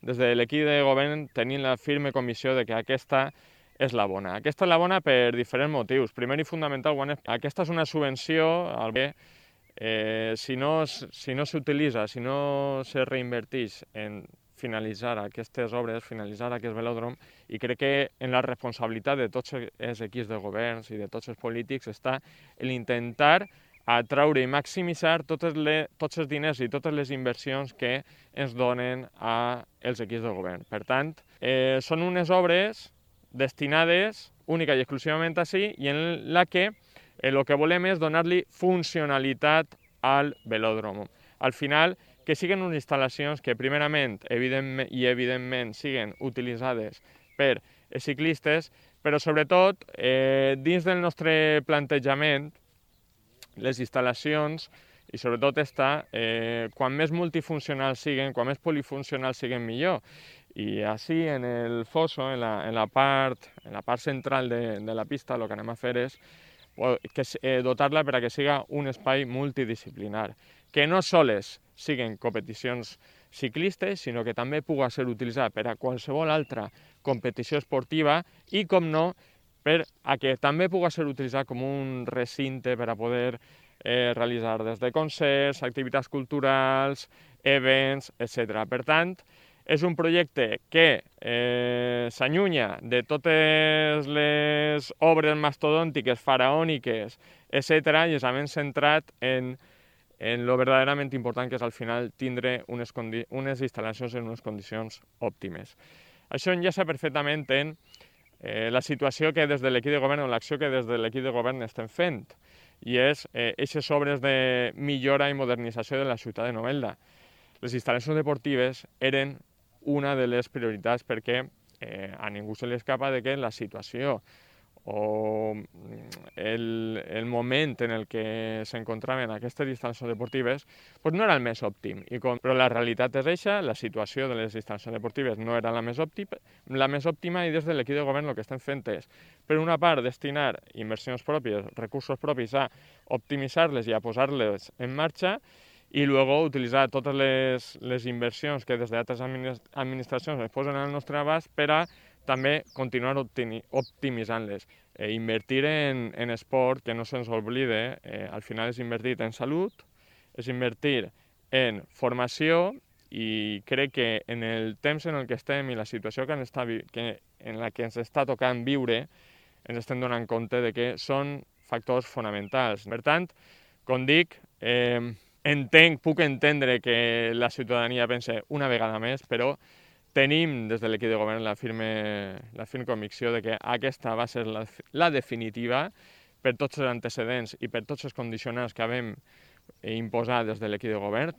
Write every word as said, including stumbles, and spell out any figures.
des de l'equip de govern tenim la firme convicció de que aquesta és la bona. Aquesta és la bona per diferents motius. Primer i fonamental, aquesta és una subvenció al que eh, si no, si no s'utilitza, si no se reinverteix en finalitzar aquestes obres, finalitzar aquest velòdrom, i crec que en la responsabilitat de tots els equips de governs i de tots els polítics està l'intentar atraure i maximitzar totes les, tots els diners i totes les inversions que ens donen als equips de govern. Per tant, eh, són unes obres destinades única i exclusivament a sí i en la que el que volem és donar-li funcionalitat al velòdrom. Al final, que siguin unes instal·lacions que primerament evidentment, i evidentment siguin utilitzades per ciclistes, però sobretot eh, dins del nostre plantejament les instal·lacions i sobretot esta, eh, quan més multifuncionals siguen, quan més polifuncionals siguen millor. I així en el fosso, en la, en la, part, en la part central de, de la pista, el que anem a fer és que, eh, dotar-la per a que siga un espai multidisciplinar, que no soles siguen competicions ciclistes, sinó que també pugui ser utilitzat per a qualsevol altra competició esportiva i, com no, per a que també pugui ser utilitzat com un recinte per a poder eh, realitzar des de concerts, activitats culturals, events, etcètera. Per tant, és un projecte que eh, s'allunya de totes les obres mastodòntiques, faraòniques, etcètera, i és ben centrat en, en lo verdaderament important que és al final tindre unes, unes instal·lacions en unes condicions òptimes. Això enllaça perfectament en eh, la situació que des de l'equip de govern o l'acció que des de l'equip de govern estem fent, i és aquestes eh, obres de millora i modernització de la ciutat de Novelda. Les instal·lacions deportives eren una de les prioritats perquè eh, a ningú se li escapa de que la situació o el, el moment en el que s'encontraven aquestes instal·lacions deportives pues no era el més òptim. I com, però la realitat és eixa, la situació de les instal·lacions deportives no era la més òptima, la més òptima i des de l'equip de govern el que estem fent és, per una part, destinar inversions pròpies, recursos propis a optimitzar-les i a posar-les en marxa, i luego utilitzar totes les, les inversions que des d'altres administracions es posen al nostre abast per a també continuar optimitzant-les. Eh, invertir en, en esport, que no se'ns oblide, eh, al final és invertir en salut, és invertir en formació, i crec que en el temps en el que estem i la situació que, està, que en la que ens està tocant viure, ens estem donant compte de que són factors fonamentals. Per tant, com dic, eh, entenc, puc entendre que la ciutadania pense una vegada més, però tenim des de l'equip de govern la firme, la firme convicció de que aquesta va ser la, la definitiva per tots els antecedents i per tots els condicionants que vam imposar des de l'equip de govern.